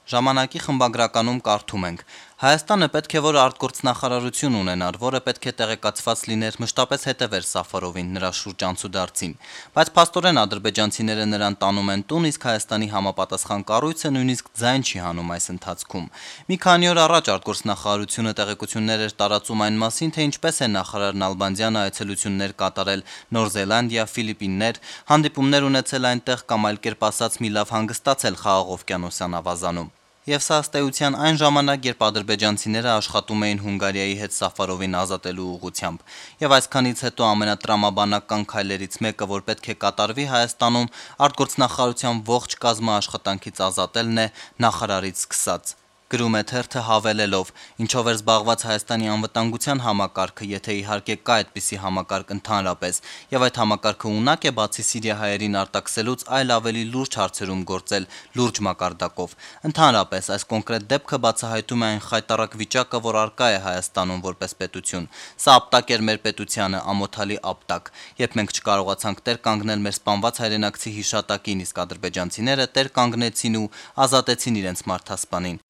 Ժամանակի խմբագրականում կարդում ենք. Հայաստանը պետք է որ արտգործնախարարություն ունենար, որը պետք է տեղեկացված լիներ, մշտապես հետևեր Սաֆարովին, նրա շուրջ անցուդարձին, բայց փաստորեն ադրբեջանցիները նրան տանում են տուն, իսկ Հայաստանի համապատասխան կառույցը նույնիսկ ձայն չի հանում այս ընթացքում։ Մի քանի օր առաջ արտգործնախարարությունը տեղեկություններ էր տարածում այն մասին, թե ինչպես է նախարար Նալբանդյանը այցելություններ կատարել Նոր Զելանդիա, Ֆիլիպիններ, հանդիպումներ ունեցել այնտեղ կամ այլ կերպ ասած մի լավ հանգստացել Խաղաղ օվկիանոսյան ավազանում։ Եվ սա ըստ էության այն ժամանակ, երբ ադրբեջանցիները աշխատում էին Հունգարիայի հետ Սաֆարովին ազատելու ուղղությամբ։ Եվ այսքանից հետո ամենատրամաբանական քայլերից մեկը, որ պետք է կատարվի Հայաստանում, արտգործնախարարության ողջ կազմը աշխատանքից ազատելն է, նախարարից սկսած։ Գրում է թերթը հավելելով, ինչով էր զբաղված Հայաստանի անվտանգության համակարգը, եթե իհարկե կա այդպիսի համակարգ ընդհանրապես, եւ այդ համակարգը ունակ է բացի սիրիահայերին արտաքսելուց այլ ավելի լուրջ հարցերում գործել լուրջ մակարդակով։ Ընդհանրապես այս կոնկրետ դեպքը բացահայտում է այն խայտառակ վիճակը, որ առկա է Հայաստանում որպես պետություն։ Սա ապտակ էր մեր պետությանը, ամոթալի ապտակ, երբ մենք չկարողացանք տեր կանգնել մեր սպանված հայրենակցի հիշատակին, իսկ ադրբեջանցիները տեր կանգնեցին ու ազատեցին իրենց մարդասպանին։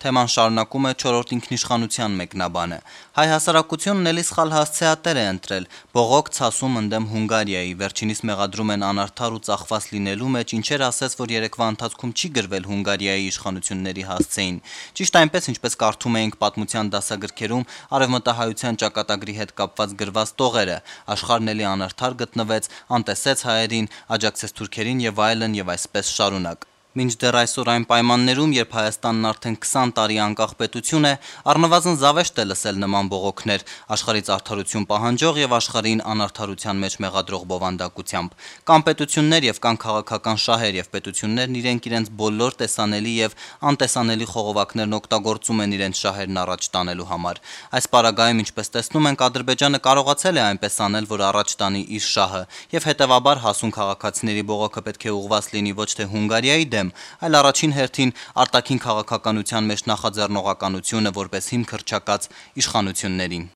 Թեման շարունակում է 4-րդ ինքնիշխանության մեկնաբանը։ Հայ հասարակությունն էլի սխալ հասցեատեր է ընտրել, բողոք ցասում ընդդեմ Հունգարիայի, վերջինիս մեղադրում են անարդար ու ծախված լինելու մեջ, ինչեր ասես, որ երեկվա ընթացքում չի գրվել Հունգարիայի իշխանությունների հասցեին։ Ճիշտ այնպես, ինչպես կարդում էինք պատմության դասագրքերում արևմտահայության ճակատագրի հետ կապված գրված տողերը, աշխարհն էլի անարդար գտնվեց, անտեսեց հայերին, աջակցեց թուրքերին եւ այլն եւ այսպես շարունակ։ Մինչդեռ այսօր այն պայմաններում, երբ Հայաստանն արդեն 20 տարի անկախ պետություն է, առնվազն զավեշտ է լսել նման բողոքներ, աշխարհից արդարություն պահանջող եւ աշխարհին անարդարության մեջ մեղադրող բովանդակությամբ։ Կան պետություններ եւ կան քաղաքական շահեր եւ պետություններն իրենց բոլոր տեսանելի եւ անտեսանելի խողովակներն օգտագործում են իրենց շահերն առաջ տանելու համար։ Այս պարագայում, ինչպես տեսնում ենք, Ադրբեջանը կարողացել է այնպես անել, որ առաջ տանի իր շահը, եւ հետեւաբար հասուն քաղաքացիների բողոքը պետք է ուղղված լինի ոչ թե Հունգարիայի այլ առաջին հերթին արտաքին քաղաքականության մեջ նախաձեռնողականությունը որպես հիմք հռչակած իշխանություններին։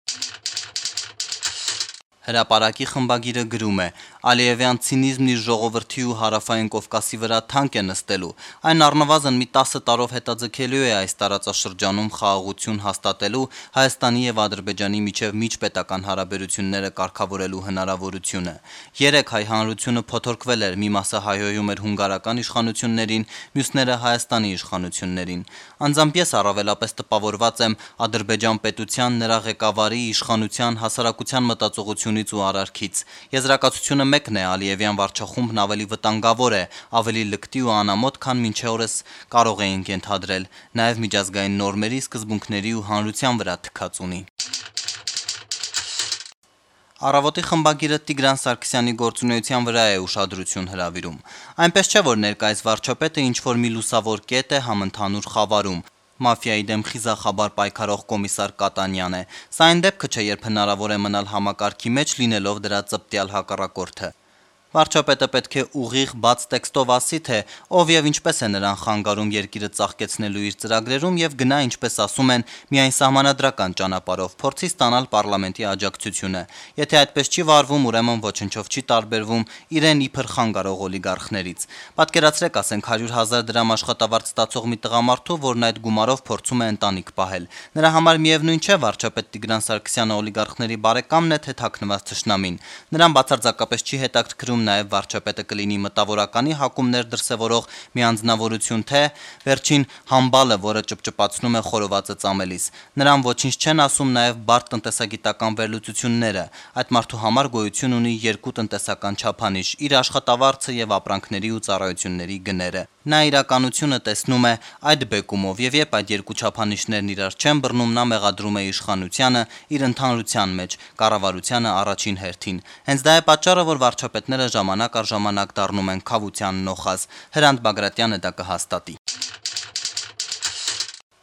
Հրապարակի խմբագիրը գրում է. Ալիևյան ցինիզմն իր ժողովրդի ու հարավային Կովկասի վրա թանկ է նստելու, այն առնվազն մի 10 տարով հետաձգելու է այս տարածաշրջանում խաղաղություն հաստատելու Հայաստանի եւ Ադրբեջանի միջև միջպետական հարաբերությունները կարգավորելու հնարավորությունը։ Երեք հայ հանրությունը փոթորկվել էր, մի մասը հայհոյում էր հունգարական իշխանություններին, մյուսները Հայաստանի իշխանություններին։ Անձամբ ես առավելապես տպավորված եմ Ադրբեջան պետության, նրա ղեկավարի, իշխանության, հասարակության մտածողությունից ու արարքից։ Եզրակացությունը մեկն է, Ալիևյան վարչախումբն ավելի վտանգավոր է, ավելի լկտի ու անամոթ, քան մինչ օրս կարող էինք ենթադրել, նաև միջազգային նորմերի, սկզբունքների ու հանրության վրա թքած ունի։ Առավոտի խմբագիրը Տիգրան Սարգսյանի գործունեության վրա է ուշադրություն հրավիրում։ Այնպես չէ, որ ներկայիս վարչապետը ինչ-որ մի լուսավոր կետ է համընդհանուր խավարում։ Մաֆիայի դեմ խիզախաբար պայքարող կոմիսար Կատանյան է։ Սա այն դեպքը չէ, երբ հնարավոր է մնալ համակարգի մեջ լինելով դրա ծպտյալ հակառակորդը։ Վարչապետը պետք է ուղիղ բաց տեքստով ասի, թե ով եւ ինչպես է նրան խանգարում երկիրը ծաղկեցնելու իր ծրագրերում եւ գնա, ինչպես ասում են, միայն սահմանադրական ճանապարհով, փորձի ստանալ պարլամենտի աջակցությունը։ Եթե այդպես չի վարվում, ուրեմն ոչնչով չի տարբերվում իրեն իբր խանգարող օլիգարխներից։ Պատկերացրեք, ասենք 100,000 դրամ աշխատավարձ ստացող մի տղամարդու, որն այդ գումարով փորձում է ընտանիք պահել։ Նրա համար միևնույն չէ վարչապետ Տիգրան Սարգսյանը օլիգարխների բարեկամն է, թե թաքնված թշնամին։ Նրան բացարձակապես չի հետաքրքրում նաև վարչապետը կլինի մտավորականի հակումներ դրսևորող մի անձնավորություն, թե վերջին համբալը, որը ճպճպացնում է խորովածը ծամելիս։ Նրան ոչինչ չեն ասում նաև բարդ տնտեսագիտական վերլուծությունները։ Այդ մարդու համար գոյություն ունի երկու տնտեսական չափանիշ՝ իր աշխատավարձը եւ ապրանքների ու ծառայությունների գները։ Նա իրականությունը տեսնում է այդ բեկումով եւ երբ այդ երկու չափանիշներն իրար չեն բռնում, նա մեղադրում է իշխանությանը իր ընդհանրության մեջ, կառավարությանը առաջին հերթին։ Հենց դա է պատճառը, որ վարչապետները ժամանակ առ ժամանակ դառնում են քավության նոխազ։ Հրանտ Բագրատյանը դա կհաստատի։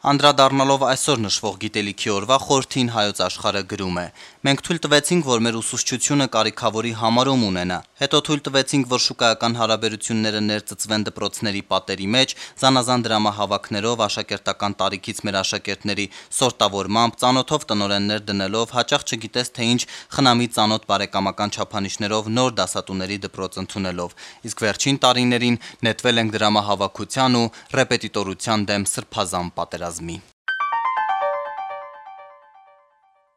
Անդրադառնալով այսօր նշվող գիտելիքի օրվա խորհրդին Հայոց Աշխարհը գրում է. Մենք թույլ տվեցինք, որ մեր ուսուցչությունը կարիքավորի համարում ունենա։ Հետո թույլ տվեցինք, որ շուկայական հարաբերությունները ներծծվեն դպրոցների պատերի մեջ, զանազան դրամահավաքներով, աշակերտական տարիքից մեր աշակերտների սորտավորմամբ, ծանոթով տնօրեններ դնելով, հաճախ չգիտես թե ինչ խնամի ծանոթ բարեկամական չափանիշներով նոր դասատուների դպրոց ընդունելով։ Իսկ վերջին տարիներին նետվել ենք դրամահավաքության ու ռեպետիտորության դեմ սրբազան պատերազմի։